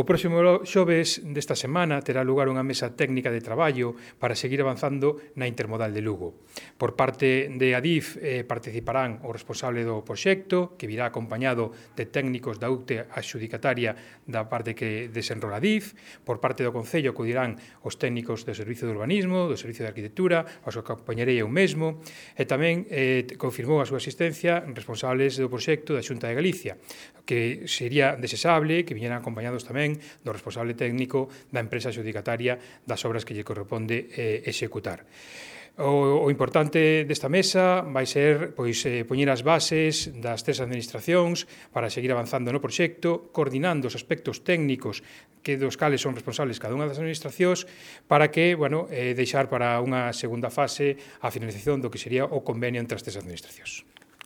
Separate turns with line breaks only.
O próximo xoves desta semana terá lugar unha mesa técnica de traballo para seguir avanzando na intermodal de Lugo. Por parte de Adif participarán o responsable do proxecto, que virá acompañado de técnicos da UCTE adxudicataria da parte que desenrola Adif. Por parte do Concello acudirán os técnicos do Servicio de Urbanismo, do Servicio de Arquitectura, os que acompañarei eu mesmo, e tamén confirmou a súa asistencia responsables do proxecto da Xunta de Galicia, que sería desexable que viñeran acompañados tamén do responsable técnico da empresa adxudicataria das obras que lle corresponde executar. O importante desta mesa vai ser poñer as bases das tres administracións para seguir avanzando no proxecto, coordinando os aspectos técnicos dos cales son responsables cada unha das administracións para que, deixar para unha segunda fase a finalización do que sería o convenio entre as tres administracións.